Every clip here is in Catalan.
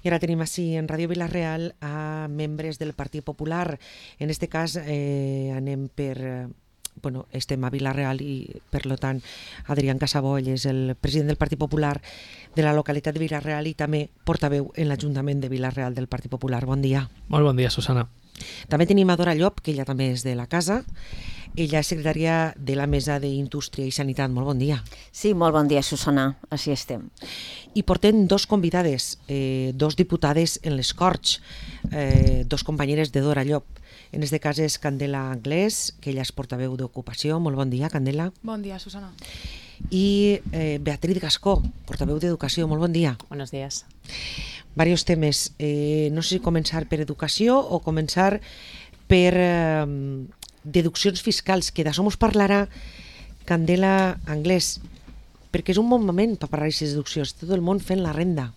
I ara tenim així en Ràdio Vila-real a membres del Partit Popular. En este cas anem per... estem a Vila-real i, per tant, Adrián Casaboll és el president del Partit Popular de la localitat de Vila-real i també portaveu en l'Ajuntament de Vila-real del Partit Popular. Bon dia. Molt bon dia, Susana. També tenim a Dora Llop, que ella també és de la casa. Ella és secretària de la Mesa d'Indústria i Sanitat. Molt bon dia. Sí, molt bon dia, Susana. Així estem. I portem dos convidades, dos diputades en les Corts, dos companyeres de Dora Llop. En aquest cas és Candela Anglès, que ella és portaveu d'Ocupació. Molt bon dia, Candela. Bon dia, Susana. I Beatriz Gascó, portaveu d'Educació. Molt bon dia. Buenos días. Varios temes. No sé si començar per educació o començar per deduccions fiscals, que d'això mos parlarà Candela Anglès, perquè és un bon moment per parlar d'aquestes deduccions. Tot el món fent la renda.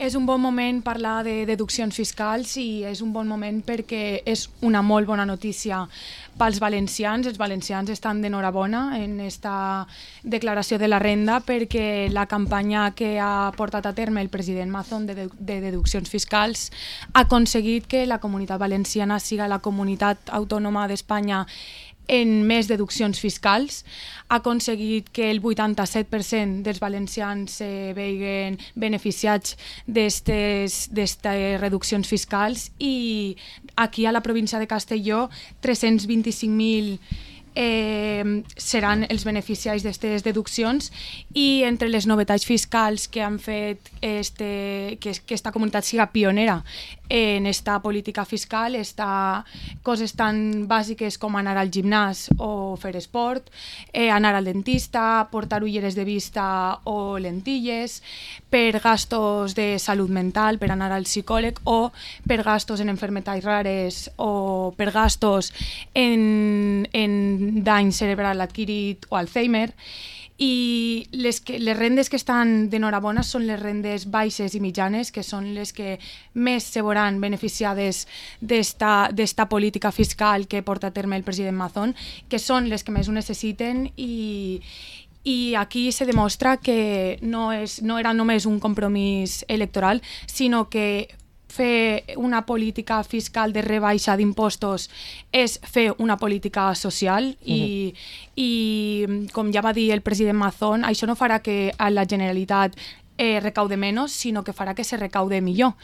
És un bon moment parlar de deduccions fiscals i és un bon moment perquè és una molt bona notícia pels valencians. Els valencians estan d'enhorabona en aquesta declaració de la renda perquè la campanya que ha portat a terme el president Mazón de deduccions fiscals ha aconseguit que la comunitat valenciana siga la comunitat autònoma d'Espanya en més deduccions fiscals. Ha aconseguit que el 87% dels valencians se veiguen beneficiats d'aquestes reduccions fiscals i aquí a la província de Castelló 325.000 seran els beneficiaris d'aquestes deduccions i entre les novetats fiscals que han fet que aquesta comunitat siga pionera en esta política fiscal està coses tan bàsiques com anar al gimnàs o fer esport, anar al dentista, portar ulleres de vista o lentilles, per gastos de salut mental, per anar al psicòleg o per gastos en enfermetats rares o per gastos en dany cerebral adquirit o Alzheimer. I les rendes que estan d'enhorabona són les rendes baixes i mitjanes, que són les que més se veuran beneficiades d'esta política fiscal que porta a terme el president Mazón, que són les que més ho necessiten i aquí se demostra que no era només un compromís electoral, sinó que fer una política fiscal de rebaixa d'impostos és fer una política social i com ja va dir el president Mazón, això no farà que a la Generalitat recaude menys, sinó que farà que se recaude millor.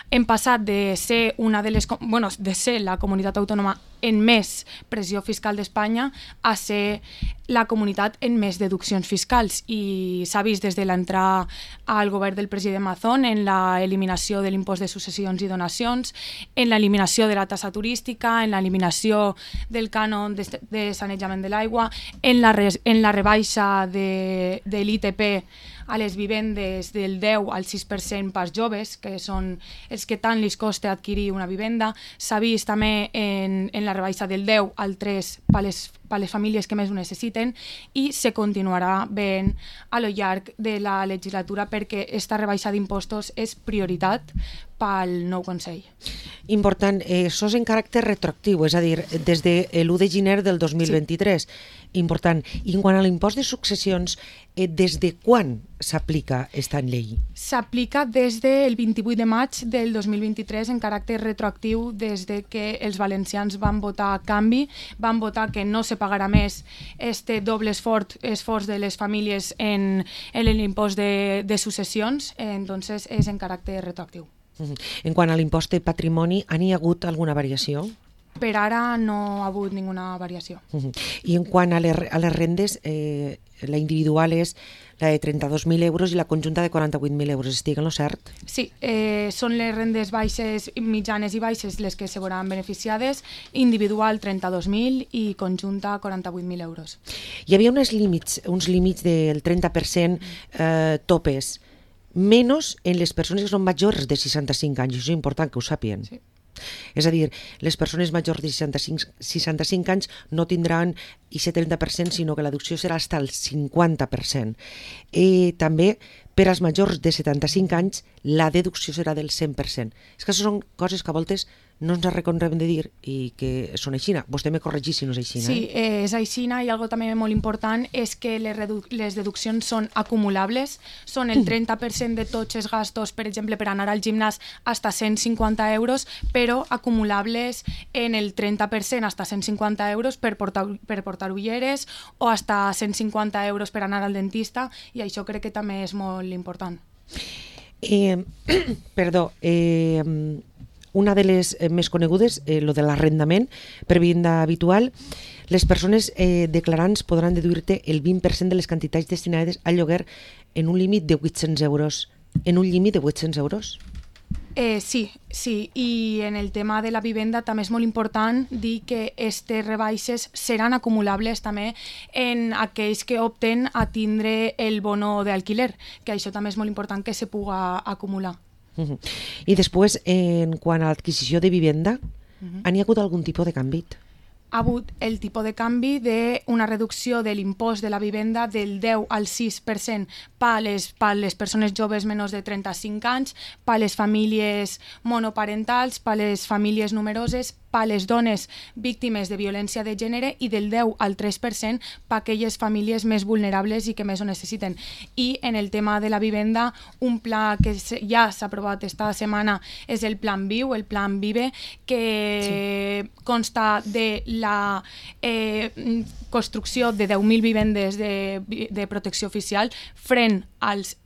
Hem passat de ser de ser la comunitat autònoma en més pressió fiscal d'Espanya a ser la comunitat en més deduccions fiscals i s'ha vist des de l'entrada al govern del president Mazón en l'eliminació de l'impost de successions i donacions, en l'eliminació de la tassa turística, en l'eliminació del cànon de sanejament de l'aigua, en la rebaixa de l'ITP a les vivendes del 10 al 6% pels joves, que són els que tant li costa adquirir una vivenda. S'ha vist també en la rebaixa del 10 al 3 per les famílies que més ho necessiten i se continuarà veient a lo llarg de la legislatura perquè aquesta rebaixa d'impostos és prioritat pel nou Consell. Important, això és en caràcter retroactiu, és a dir, des de l'1 de gener del 2023. Sí. Important. I en quant a l'impost de successions, des de quan s'aplica esta llei? S'aplica des del 28 de maig del 2023 en caràcter retroactiu, des de que els valencians van votar canvi, van votar que no se pagarà més este doble esforç de les famílies en l'impost de successions, entonces és en caràcter retroactiu. En quant a l'impost de patrimoni, han hi hagut alguna variació? Per ara no ha hagut ninguna variació. I en quant a les rendes, la individual és la de 32.000 euros i la conjunta de 48.000 euros. Estic en lo cert? Sí, són les rendes baixes, mitjanes i baixes les que se veuran beneficiades, individual 32.000 i conjunta 48.000 euros. Hi havia uns límits del 30% topes, menys en les persones que són majors de 65 anys. Això és important que ho sàpien. Sí. És a dir, les persones majors de 65 anys no tindran aquest 30%, sinó que la deducció serà fins al 50%. També per als majors de 75 anys la deducció serà del 100%. És que això són coses que a voltes no ens arreconrem de dir i que són aixina. Vostè me corregís si no és aixina. Sí, és aixina, i algo també molt important és que les deduccions són acumulables, són el 30% de tots els gastos, per exemple, per anar al gimnàs hasta 150 euros, però acumulables en el 30% hasta 150 euros per portar ulleres o hasta 150 euros per anar al dentista, i això crec que també és molt important. Una de les més conegudes, lo de l'arrendament per vivienda habitual, les persones declarants podran deduir-te el 20% de les quantitats destinades al lloguer en un límit de 800 euros. En un límit de 800 euros? Sí, i en el tema de la vivenda també és molt important dir que aquestes rebaixes seran acumulables també en aquells que opten a tindre el bono d'alquiler, que això també és molt important que se puga acumular. I després, en quant a l'adquisició de vivenda, han hi hagut algun tipus de canvi? Ha hagut el tipus de canvi d'una reducció de l'impost de la vivenda del 10 al 6% per les persones joves menors de 35 anys, per les famílies monoparentals, per les famílies numeroses, per les dones víctimes de violència de gènere, i del 10 al 3% per aquelles famílies més vulnerables i que més ho necessiten. I en el tema de la vivenda, un pla que ja s'ha aprovat esta setmana és el Plan Viu, el Plan Vive, que consta de la construcció de 10.000 vivendes de protecció oficial front a les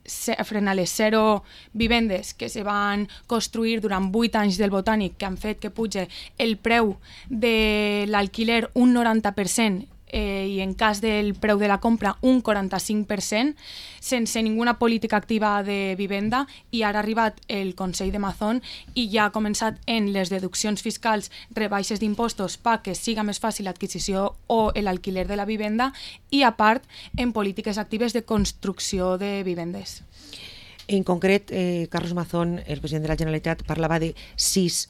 0 vivendes que se van construir durant 8 anys del Botànic, que han fet que puja el preu de l'alquiler un 90%, i en cas del preu de la compra un 45%, sense ninguna política activa de vivenda. I ara ha arribat el Consell de Mazón i ja ha començat en les deduccions fiscals rebaixes d'impostos perquè siga més fàcil l'adquisició o l'alquiler de la vivenda, i a part en polítiques actives de construcció de vivendes. En concret, Carlos Mazón, el president de la Generalitat, parlava de 6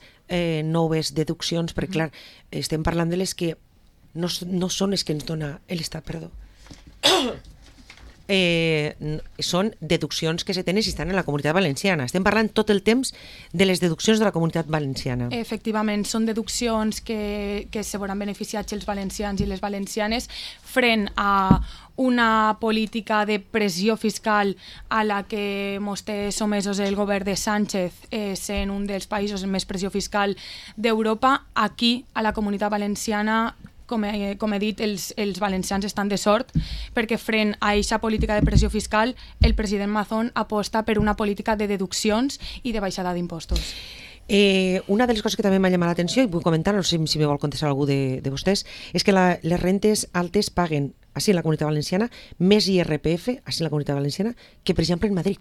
noves deduccions, perquè clar, estem parlant de les que no són les que ens dona l'Estat, perdó. Són deduccions que se tenen si estan en la Comunitat Valenciana. Estem parlant tot el temps de les deduccions de la Comunitat Valenciana. Efectivament, són deduccions que se veuran beneficiats els valencians i les valencianes front a una política de pressió fiscal a la que mos té somesos el govern de Sánchez, sent un dels països amb més pressió fiscal d'Europa. Aquí, a la Comunitat Valenciana, com he dit, els valencians estan de sort, perquè front a aquesta política de pressió fiscal el president Mazón aposta per una política de deduccions i de baixada d'impostos. Una de les coses que també m'ha llamat l'atenció, i vull comentar, no sé si me vol contestar algú de vostès, és que les rentes altes paguen, així en la Comunitat Valenciana, més IRPF, així en la Comunitat Valenciana, que per exemple en Madrid.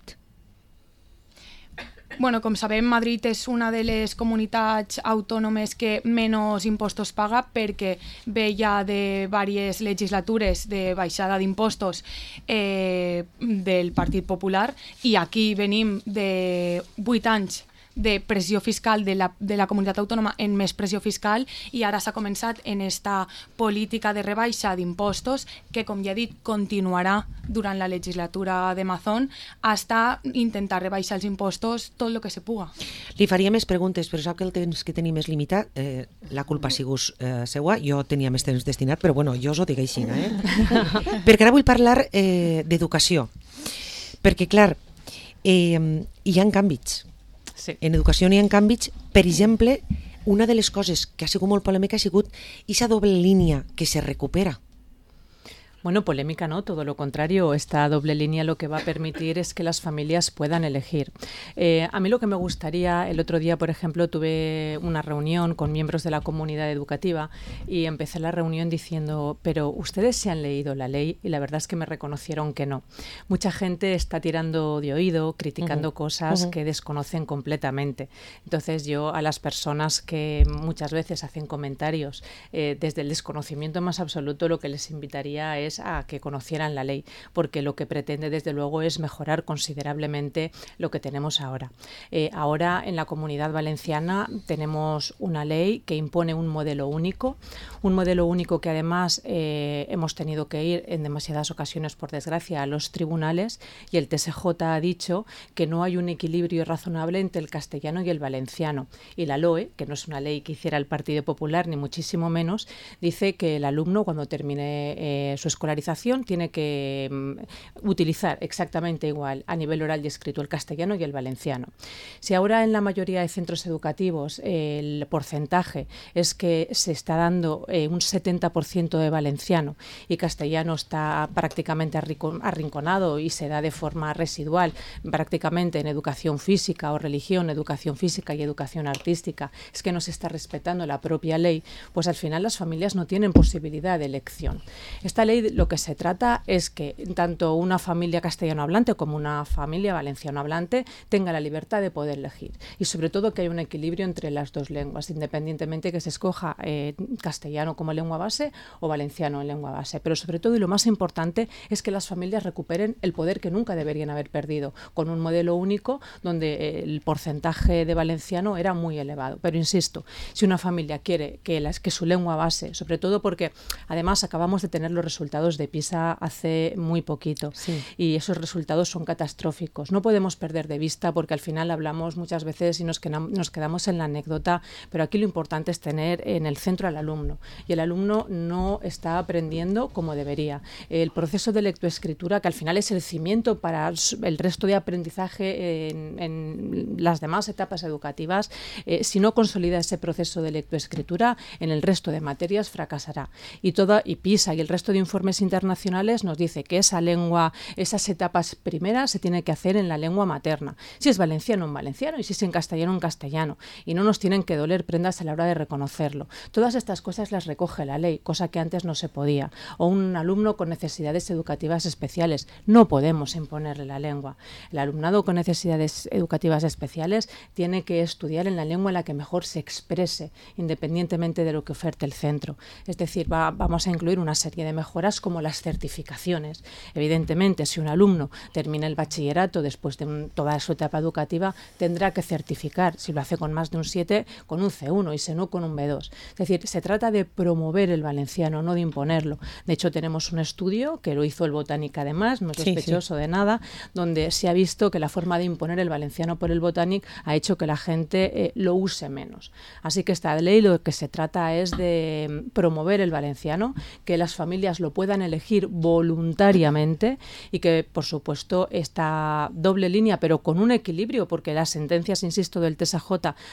Bueno, com sabem, Madrid és una de les comunitats autònomes que menys impostos paga, perquè ve ja de diverses legislatures de baixada d'impostos del Partit Popular, i aquí venim de 8 anys de pressió fiscal de la comunitat autònoma en més pressió fiscal, i ara s'ha començat en esta política de rebaixa d'impostos que, com ja he dit, continuarà durant la legislatura de Mazón hasta intentar rebaixar els impostos tot el que se puga. Li faria més preguntes, però sap que el temps que tenim és limitat. La culpa ha sigut seua, jo tenia més temps destinat, però bueno, jo us ho dic així, perquè ara vull parlar d'educació, perquè clar, hi ha canvis. Sí. En educació hi ha canvis. Per exemple, una de les coses que ha sigut molt polèmica ha sigut aquesta doble línia que se recupera. Bueno, polémica no, todo lo contrario. Esta doble línea lo que va a permitir es que las familias puedan elegir. A mí lo que me gustaría, el otro día, por ejemplo, tuve una reunión con miembros de la comunidad educativa y empecé la reunión diciendo, pero ustedes se han leído la ley, y la verdad es que me reconocieron que no. Mucha gente está tirando de oído, criticando cosas que desconocen completamente. Entonces yo a las personas que muchas veces hacen comentarios desde el desconocimiento más absoluto, lo que les invitaría es familias a que conocieran la ley, porque lo que pretende desde luego es mejorar considerablemente lo que tenemos ahora. Ahora en la Comunidad Valenciana tenemos una ley que impone un modelo único que además hemos tenido que ir en demasiadas ocasiones, por desgracia, a los tribunales, y el TSJ ha dicho que no hay un equilibrio razonable entre el castellano y el valenciano. Y la LOE, que no es una ley que hiciera el Partido Popular, ni muchísimo menos, dice que el alumno, cuando termine su escolarización, tiene que utilizar exactamente igual a nivel oral y escrito el castellano y el valenciano. Si ahora en la mayoría de centros educativos el porcentaje es que se está dando un 70% de valenciano y castellano está prácticamente arrinconado y se da de forma residual, prácticamente en educación física o religión, educación física y educación artística, es que no se está respetando la propia ley, pues al final las familias no tienen posibilidad de elección. Esta ley lo que se trata es que tanto una familia castellano hablante como una familia valenciano hablante tenga la libertad de poder elegir, y sobre todo que haya un equilibrio entre las dos lenguas, independientemente que se escoja castellano como lengua base o valenciano en lengua base. Pero sobre todo, y lo más importante, es que las familias recuperen el poder que nunca deberían haber perdido, con un modelo único donde el porcentaje de valenciano era muy elevado. Pero insisto, si una familia quiere que su lengua base, sobre todo porque además acabamos de tener los resultados de PISA hace muy poquito, sí, y esos resultados son catastróficos. No podemos perder de vista, porque al final hablamos muchas veces y nos quedamos en la anécdota, pero aquí lo importante es tener en el centro al alumno, y el alumno no está aprendiendo como debería. El proceso de lectoescritura, que al final es el cimiento para el resto de aprendizaje en las demás etapas educativas, si no consolida ese proceso de lectoescritura, en el resto de materias fracasará. Y PISA y el resto de informes internacionales nos dice que esa lengua, esas etapas primeras se tiene que hacer en la lengua materna. Si es valenciano, en valenciano, y si es en castellano, y no nos tienen que doler prendas a la hora de reconocerlo. Todas estas cosas las recoge la ley, cosa que antes no se podía. O un alumno con necesidades educativas especiales, no podemos imponerle la lengua. El alumnado con necesidades educativas especiales tiene que estudiar en la lengua en la que mejor se exprese, independientemente de lo que oferte el centro. Es decir, vamos a incluir una serie de mejoras como las certificaciones. Evidentemente, si un alumno termina el bachillerato después de toda su etapa educativa, tendrá que certificar, si lo hace con más de un 7, con un C1, y si no, con un B2. Es decir, se trata de promover el valenciano, no de imponerlo. De hecho, tenemos un estudio que lo hizo el Botanic, además, no es sospechoso de nada, donde se ha visto que la forma de imponer el valenciano por el Botanic ha hecho que la gente lo use menos. Así que esta ley lo que se trata es de promover el valenciano, que las familias lo puedan elegir voluntariamente, y que, por supuesto, esta doble línea, pero con un equilibrio, porque las sentencias, insisto, del TSJ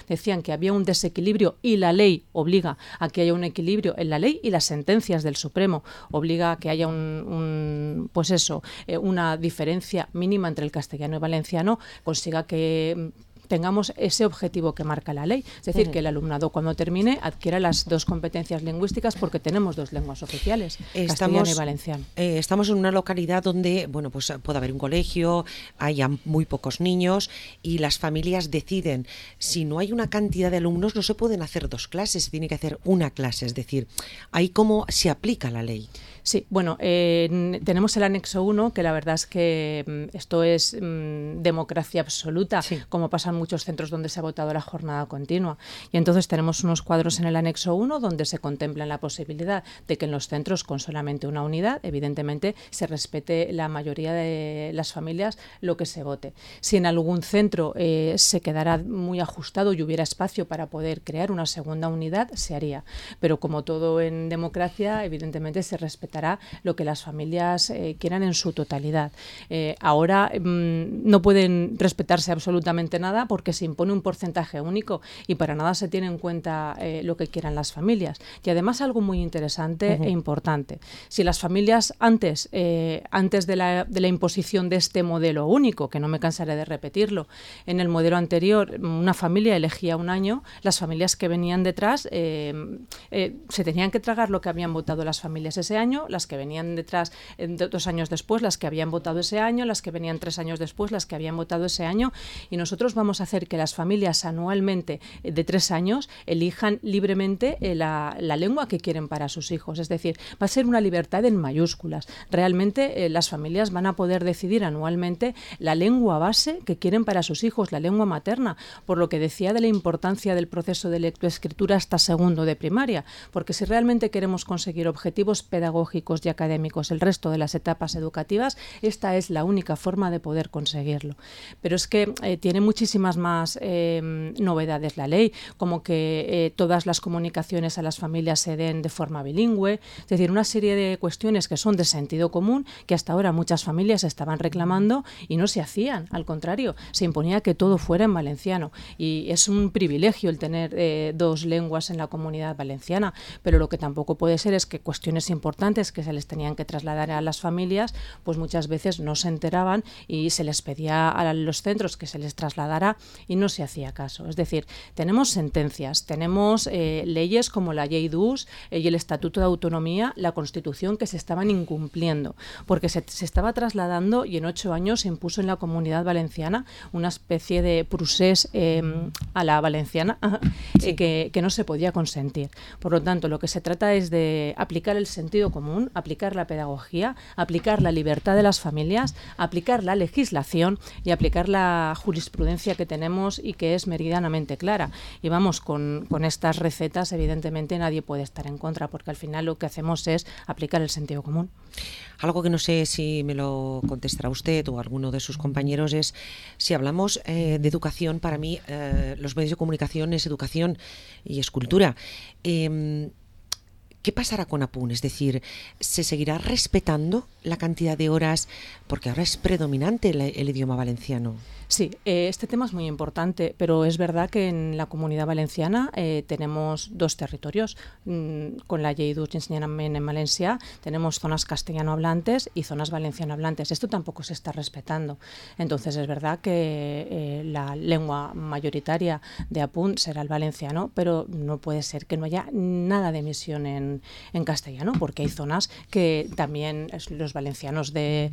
decían que había un desequilibrio y la ley obliga a que haya un equilibrio en la ley, y las sentencias del Supremo obliga a que haya una diferencia mínima entre el castellano y valenciano, consiga que tengamos ese objetivo que marca la ley, es decir, que el alumnado cuando termine adquiera las dos competencias lingüísticas, porque tenemos dos lenguas oficiales, castellano y valenciano. Estamos en una localidad donde, bueno, pues puede haber un colegio, haya muy pocos niños, y las familias deciden, si no hay una cantidad de alumnos, no se pueden hacer dos clases, se tiene que hacer una clase, es decir, ahí cómo se aplica la ley. Sí, bueno, tenemos el anexo 1, que la verdad es que esto es democracia absoluta, como pasa en muchos centros donde se ha votado la jornada continua. Y entonces tenemos unos cuadros en el anexo 1 donde se contempla la posibilidad de que en los centros con solamente una unidad, evidentemente, se respete la mayoría de las familias lo que se vote. Si en algún centro se quedara muy ajustado y hubiera espacio para poder crear una segunda unidad, se haría. Pero como todo en democracia, evidentemente se respetará lo que las familias quieran en su totalidad. Ahora no pueden respetarse absolutamente nada, porque se impone un porcentaje único y para nada se tiene en cuenta lo que quieran las familias. Y además algo muy interesante e importante. Si las familias antes de la imposición de este modelo único, que no me cansaré de repetirlo, en el modelo anterior una familia elegía un año, las familias que venían detrás se tenían que tragar lo que habían votado las familias ese año, año, las que venían detrás 2 años después, las que habían votado ese año, las que venían 3 años después, las que habían votado ese año, y nosotros vamos a hacer que las familias anualmente de 3 años elijan libremente la lengua que quieren para sus hijos. Es decir, va a ser una libertad en mayúsculas. Realmente las familias van a poder decidir anualmente la lengua base que quieren para sus hijos, la lengua materna, por lo que decía de la importancia del proceso de lectoescritura hasta segundo de primaria, porque si realmente queremos conseguir objetivos pedagógicos y académicos el resto de las etapas educativas, esta es la única forma de poder conseguirlo. Pero es que tiene muchísimas más novedades la ley, como que todas las comunicaciones a las familias se den de forma bilingüe, es decir, una serie de cuestiones que son de sentido común, que hasta ahora muchas familias estaban reclamando y no se hacían, al contrario, se imponía que todo fuera en valenciano, y es un privilegio el tener 2 lenguas en la Comunidad Valenciana, pero lo que tampoco puede ser es que cuestiones importantes que se les tenían que trasladar a las familias, pues muchas veces no se enteraban y se les pedía a los centros que se les trasladara y no se hacía caso. Es decir, tenemos sentencias, tenemos leyes como la Llei d'Ús y el Estatuto de Autonomía, la Constitución, que se estaban incumpliendo, porque se estaba trasladando, y en 8 años se impuso en la Comunidad Valenciana una especie de procés a la valenciana que no se podía consentir. Por lo tanto, lo que se trata es de aplicar el sentido común, aplicar la pedagogía, aplicar la libertad de las familias, aplicar la legislación y aplicar la jurisprudencia que tenemos y que es meridianamente clara. Y vamos, con estas recetas evidentemente nadie puede estar en contra, porque al final lo que hacemos es aplicar el sentido común. Algo que no sé si me lo contestará usted o alguno de sus compañeros es, si hablamos de educación, para mí los medios de comunicación es educación y es cultura. ¿Qué pasará con APUN? Es decir, ¿se seguirá respetando la cantidad de horas? Porque ahora es predominante el idioma valenciano. Sí, este tema es muy importante, pero es verdad que en la Comunidad Valenciana tenemos 2 territorios. Con la Llei d'Ús i Ensenyament en Valencià tenemos zonas castellano hablantes y zonas valenciano hablantes. Esto tampoco se está respetando. Entonces es verdad que la lengua mayoritaria de APUN será el valenciano, pero no puede ser que no haya nada de emisión en castellano, porque hay zonas que también los valencianos de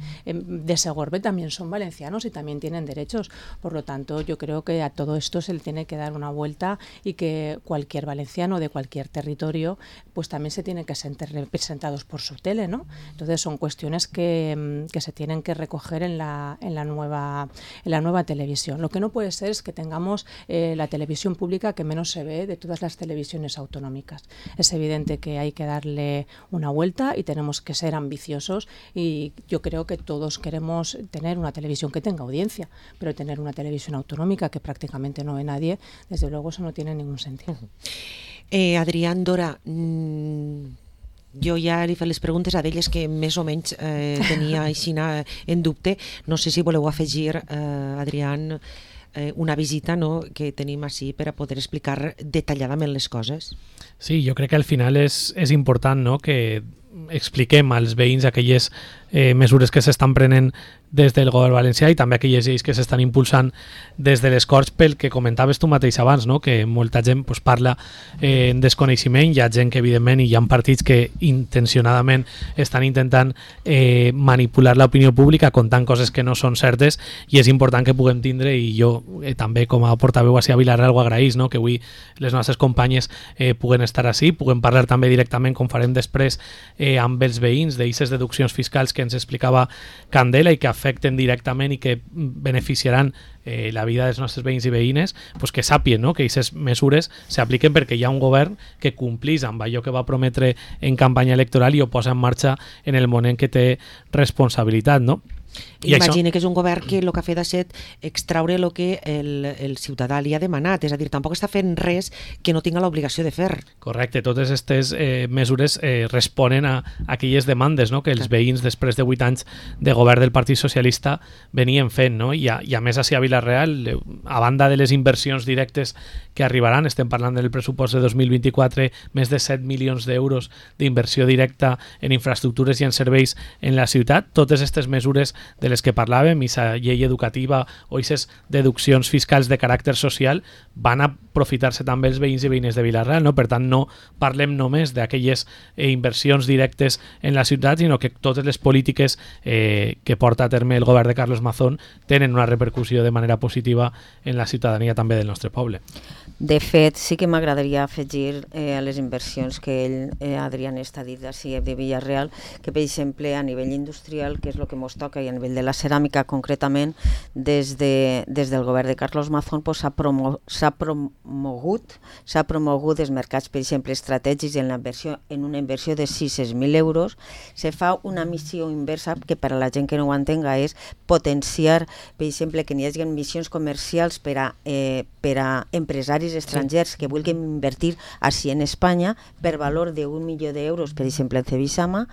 Segorbe también son valencianos y también tienen derechos. Por lo tanto, yo creo que a todo esto se le tiene que dar una vuelta, y que cualquier valenciano de cualquier territorio pues también se tienen que sentir representados por su tele, ¿no? Entonces son cuestiones que se tienen que recoger en la nueva televisión. Lo que no puede ser es que tengamos la televisión pública que menos se ve de todas las televisiones autonómicas. Es evidente que hay que darle una vuelta y tenemos que ser ambiciosos, y yo creo que todos queremos tener una televisión que tenga audiencia, pero tener una televisión autonómica que prácticamente no ve nadie, desde luego eso no tiene ningún sentido. Adrián, Dora, jo ja li he fet les preguntes a d'elles que més o menys tenia així en dubte. No sé si voleu afegir, Adrián, una visita, no, que tenim així per a poder explicar detalladament les coses. Sí, jo crec que al final és important, no?, que expliquem als veïns aquelles mesures que s'estan prenent des del govern valencià i també aquelles lleis que s'estan impulsant des de les Corts, pel que comentaves tu mateix abans, no? Que molta gent pues, parla en desconeixement, hi ha gent que evidentment hi ha partits que intencionadament estan intentant manipular l'opinió pública contant coses que no són certes, i és important que puguem tindre, i jo també com a portaveu a Vilareal ho agraïs, no? Que avui les nostres companyes puguen estar així, puguen parlar també directament, com farem després amb els veïns, d'aquestes deduccions fiscals que ens explicava Candela i que afecten directament i que beneficiaran la vida dels nostres veïns i veïnes, pues que sàpien, no?, que aquestes mesures s'apliquen perquè hi ha un govern que complís amb allò que va prometre en campanya electoral i ho posa en marxa en el moment que té responsabilitat, no? Imagina que és un govern que el que ha fet ha estat extraure el que el ciutadà li ha demanat, és a dir, tampoc està fent res que no tinga l'obligació de fer. Correcte, totes aquestes mesures responen a aquelles demandes, no?, que els veïns després de 8 anys de govern del Partit Socialista venien fent, no? I a més a Vilareal, a banda de les inversions directes que arribaran, estem parlant del pressupost de 2024, més de 7 milions d'euros d'inversió directa en infraestructures i en serveis en la ciutat. Totes aquestes mesures de les que parlàvem, i la llei educativa o aquestes deduccions fiscals de caràcter social van a aprofitar-se també els veïns i veïnes de Vila-real, no? Per tant, no parlem només d'aquelles inversions directes en la ciutat, sinó que totes les polítiques que porta a terme el govern de Carlos Mazón tenen una repercussió de manera positiva en la ciutadania també del nostre poble. De fet, sí que m'agradaria afegir a les inversions que ell, Adrián, està dit d'ací de Vila-real, que per exemple a nivell industrial, que és el que ens toca, i a nivell de la ceràmica concretament, des del govern de Carlos Mazón s'ha promogut els mercats, per exemple, estratègics en una inversió de 600.000 euros. Se fa una missió inversa, que per a la gent que no ho entenga és potenciar, per exemple, que n'hi hagi missions comercials per a empresaris estrangers que vulguin invertir així en Espanya per valor de 1 milió d'euros, per exemple, en Cebisama.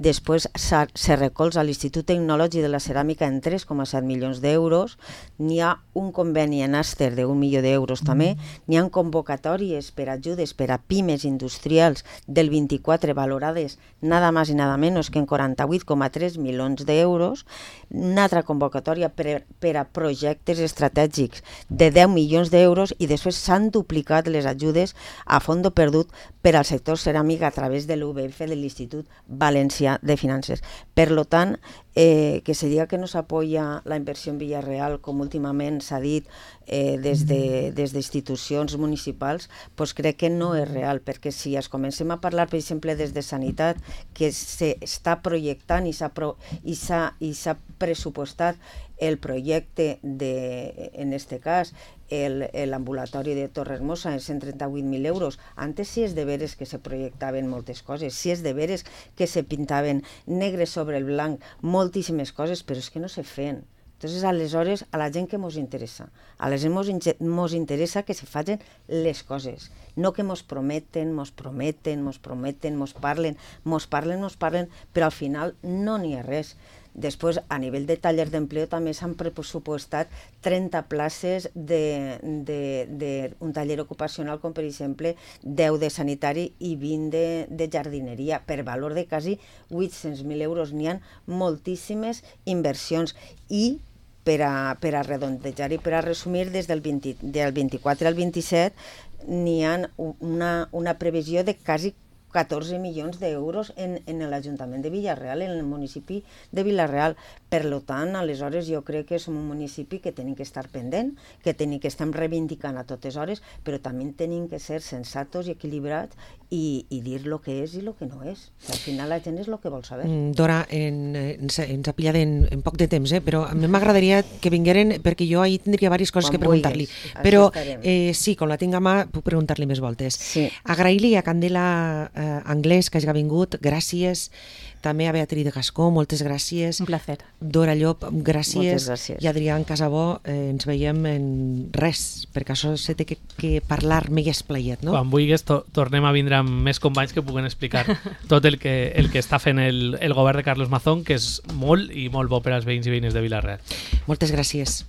Després se recolza a l'Institut Tecnològic de la Ceràmica en 3,7 milions d'euros. N'hi ha un conveni en Aster de 1 milió d'euros també. N'hi ha convocatòries per ajudes per a pimes industrials del 24 valorades nada més i nada menys que en 48,3 milions d'euros. Una altra convocatòria per a projectes estratègics de 10 milions d'euros i després s'han duplicat les ajudes a fondo perdut per al sector ceràmic a través de l'UBF de l'Institut Valencià de Finances. Per tant, que se diga que no s'apoya la inversió en Vila-real, com últimament s'ha dit des d'institucions municipals, doncs crec que no és real, perquè si es comencem a parlar, per exemple, des de Sanitat, que s'està projectant i s'ha pressupostat el projecte en este cas, l'ambulatori de Torrehermosa en 138.000 euros. Antes sí és de veres que se projectaven moltes coses, sí és de veres que se pintaven negre sobre el blanc moltíssimes coses, però és que no se feien. Entonces, aleshores, a la gent que ens interessa? A la gent ens interessa que se facin les coses, no que ens prometen, parlen, però al final no n'hi ha res. Després, a nivell de tallers d'empleo, també s'han pressupostat 30 places d'un taller ocupacional, com per exemple 10 de sanitari i 20 de jardineria, per valor de quasi 800.000 euros. N'hi ha moltíssimes inversions i per a redondejar i per a resumir, des del 24 al 27 n'hi ha una previsió de quasi 14 milions d'euros en l'Ajuntament de Vila-real, en el municipi de Vila-real. Per tant, aleshores jo crec que som un municipi que tenim que estar pendent, que estem reivindicant a totes hores, però també tenim que ser sensatos i equilibrats i dir el que és i el que no és. Al final la gent és el que vol saber. Dora, ens ha pillat en poc de temps, però a mi m'agradaria que vingueren, perquè jo ahir tindria diverses coses que preguntar-li. Però sí, com la tinc a mà, puc preguntar-li més voltes. Agrair-li a Candela Anglès que hagi vingut, gràcies. També a Beatriz de Gascó, moltes gràcies. Un placer. Dora Llop, gràcies. Moltes gràcies. I Adrián Casabó, ens veiem en res, perquè això se té que parlar més esplaiet, no? Quan vulguis tornem a vindre amb més companys que puguen explicar tot el que està fent el govern de Carlos Mazón, que és molt i molt bo per als veïns i veïnes de Vila-real. Moltes gràcies.